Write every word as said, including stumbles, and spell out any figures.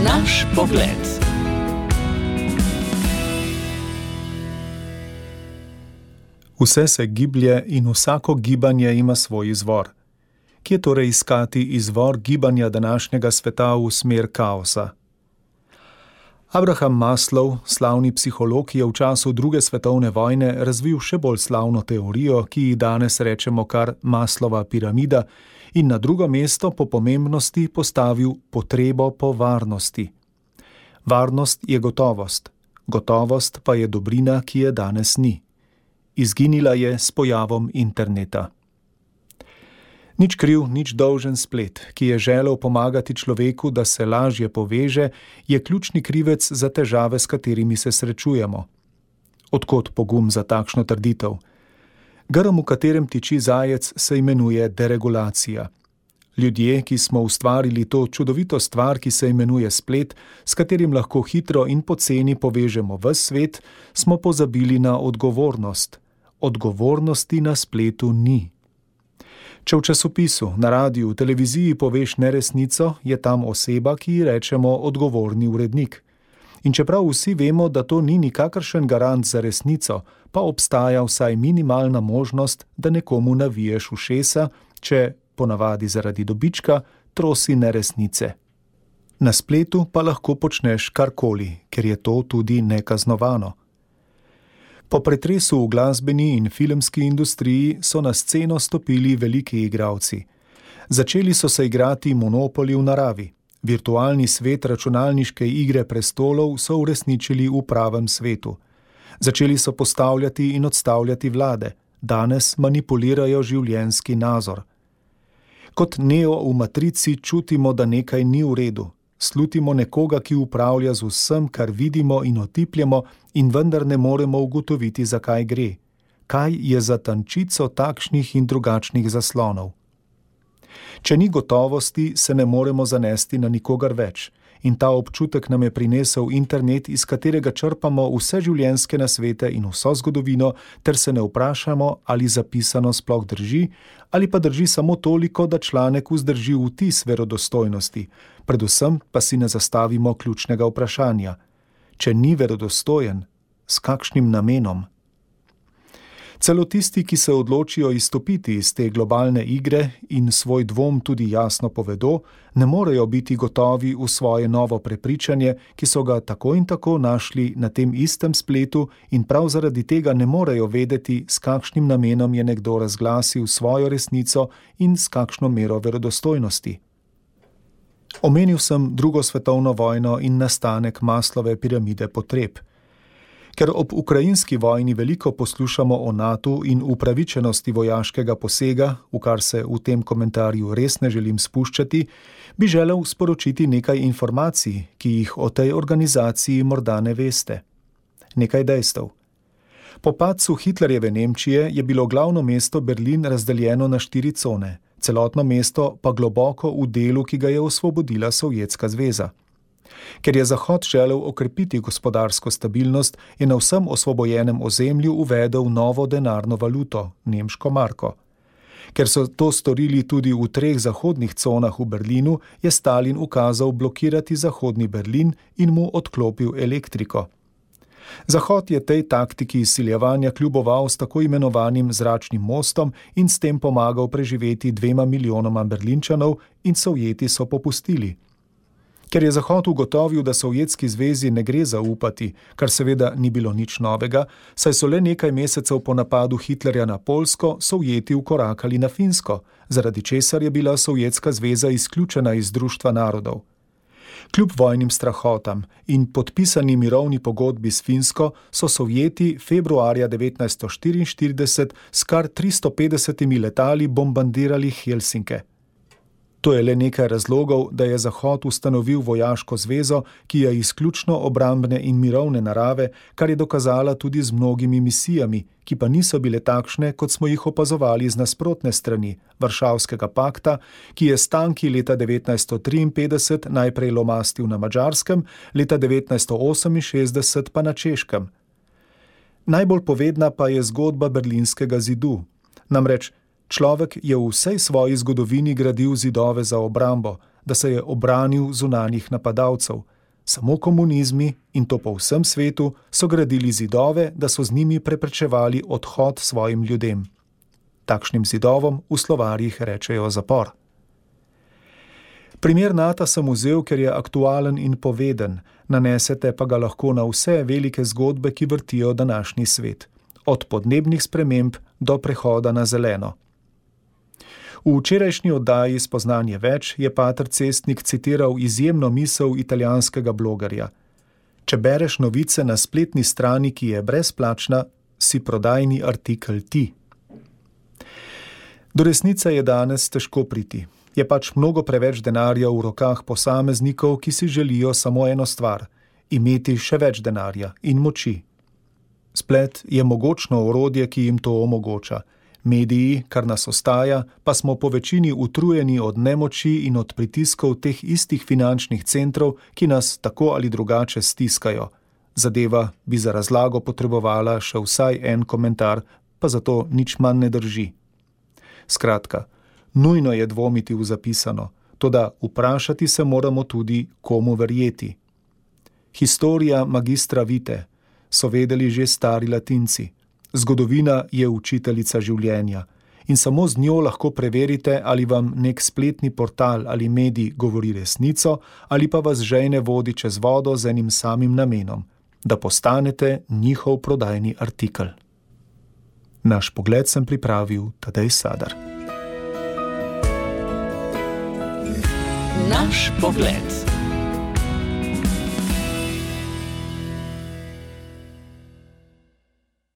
Naš pogled. Vse se giblje in vsako gibanje ima svoj izvor. Kje torej iskati izvor gibanja današnjega sveta v smer kaosa? Abraham Maslow, slavni psiholog, je v času druge svetovne vojne razvil še bolj slavno teorijo, ki ji danes rečemo kar Maslova piramida, in na drugo mesto po pomembnosti postavil potrebo po varnosti. Varnost je gotovost, gotovost pa je dobrina, ki je danes ni. Izginila je s pojavom interneta. Nič kriv, nič dolžen splet, ki je želel pomagati človeku, da se lažje poveže, je ključni krivec za težave, s katerimi se srečujemo. Odkot pogum za takšno trditev? Grm, v katerem tiči zajec, se imenuje deregulacija. Ljudje, ki smo ustvarili to čudovito stvar, ki se imenuje splet, s katerim lahko hitro in poceni povežemo ves svet, smo pozabili na odgovornost. Odgovornosti na spletu ni. Če v časopisu, na radiju, televiziji poveš neresnico, je tam oseba, ki ji rečemo odgovorni urednik. In čeprav vsi vemo, da to ni nikakršen garant za resnico, pa obstaja vsaj minimalna možnost, da nekomu naviješ ušesa, če, ponavadi zaradi dobička, trosi neresnice. Na spletu pa lahko počneš karkoli, ker je to tudi nekaznovano. Po pretresu v glasbeni in filmski industriji so na sceno stopili veliki igralci. Začeli so se igrati monopoli v naravi. Virtualni svet računalniške igre prestolov so uresničili v pravem svetu. Začeli so postavljati in odstavljati vlade. Danes manipulirajo življenjski nazor. Kot Neo v Matrici čutimo, da nekaj ni v redu. Slutimo nekoga, ki upravlja z vsem, kar vidimo in otipljamo, in vendar ne moremo ugotoviti, zakaj gre. Kaj je za tančico takšnih in drugačnih zaslonov? Če ni gotovosti, se ne moremo zanesti na nikogar več. In ta občutek nam je prinesel internet, iz katerega črpamo vse življenjske nasvete in vso zgodovino, ter se ne vprašamo, ali zapisano sploh drži, ali pa drži samo toliko, da članek vzdrži vtis verodostojnosti. Predvsem pa si ne zastavimo ključnega vprašanja. Če ni verodostojen, s kakšnim namenom? Celo tisti, ki se odločijo izstopiti iz te globalne igre in svoj dvom tudi jasno povedo, ne morejo biti gotovi v svoje novo prepričanje, ki so ga tako in tako našli na tem istem spletu, in prav zaradi tega ne morejo vedeti, s kakšnim namenom je nekdo razglasil svojo resnico in s kakšno mero verodostojnosti. Omenil sem drugo svetovno vojno in nastanek Maslove piramide potreb. Ker ob ukrajinski vojni veliko poslušamo o natu in upravičenosti vojaškega posega, v kar se v tem komentarju res ne želim spuščati, bi želel sporočiti nekaj informacij, ki jih o tej organizaciji morda ne veste. Nekaj dejstev. Po padcu Hitlerjeve Nemčije je bilo glavno mesto Berlin razdeljeno na štiri cone, celotno mesto pa globoko v delu, ki ga je osvobodila Sovjetska zveza. Ker je Zahod želel okrepiti gospodarsko stabilnost, je na vsem osvobojenem ozemlju uvedel novo denarno valuto, nemško marko. Ker so to storili tudi v treh zahodnih conah v Berlinu, je Stalin ukazal blokirati zahodni Berlin in mu odklopil elektriko. Zahod je tej taktiki izsiljevanja kljuboval s tako imenovanim zračnim mostom in s tem pomagal preživeti dvema milijonoma Berlinčanov, in Sovjeti so popustili. Ker je Zahod ugotovil, da Sovjetski zvezi ne gre zaupati, kar seveda ni bilo nič novega, saj so le nekaj mesecev po napadu Hitlerja na Poljsko Sovjeti vkorakali na Finsko, zaradi česar je bila Sovjetska zveza izključena iz Društva narodov. Kljub vojnim strahotam in podpisani mirovni pogodbi s Finsko so Sovjeti februarja devetnajststo štiriinštirideset s kar tristo petdesetimi letali bombardirali Helsinke. To je le nekaj razlogov, da je Zahod ustanovil vojaško zvezo, ki je izključno obrambne in mirovne narave, kar je dokazala tudi z mnogimi misijami, ki pa niso bile takšne, kot smo jih opazovali z nasprotne strani Varšavskega pakta, ki je s tanki leta devetnajststo triinpetdeset najprej lomastil na Madžarskem, leta devetnajststo oseminšestdeset pa na Češkem. Najbolj povedna pa je zgodba Berlinskega zidu. Namreč, človek je v vsej svoji zgodovini gradil zidove za obrambo, da se je obranil zunanjih napadalcev. Samo komunizmi, in to po vsem svetu, so gradili zidove, da so z njimi preprečevali odhod svojim ljudem. Takšnim zidovom v slovarjih rečejo zapor. Primer Nata sem vzel, ker je aktualen in poveden, nanesete pa ga lahko na vse velike zgodbe, ki vrtijo današnji svet, od podnebnih sprememb do prehoda na zeleno. V včerajšnji oddaji Spoznanje več je pater Cestnik citiral izjemno misel italijanskega blogerja. Če bereš novice na spletni strani, ki je brezplačna, si prodajni artikel ti. Do resnice je danes težko priti. Je pač mnogo preveč denarja v rokah posameznikov, ki si želijo samo eno stvar – imeti še več denarja in moči. Splet je mogočno orodje, ki jim to omogoča. Mediji, kar nas ostaja, pa smo po večini utrujeni od nemoči in od pritiskov teh istih finančnih centrov, ki nas tako ali drugače stiskajo. Zadeva bi za razlago potrebovala še vsaj en komentar, pa zato nič manj ne drži. Skratka, nujno je dvomiti v zapisano, toda vprašati se moramo tudi, komu verjeti. Historia magistra vitae, so vedeli že stari Latinci. Zgodovina je učiteljica življenja in samo z njo lahko preverite, ali vam nek spletni portal ali medij govori resnico ali pa vas žejne vodi čez vodo z enim samim namenom, da postanete njihov prodajni artikel. Naš pogled sem pripravil Tadej Sadar. Naš pogled.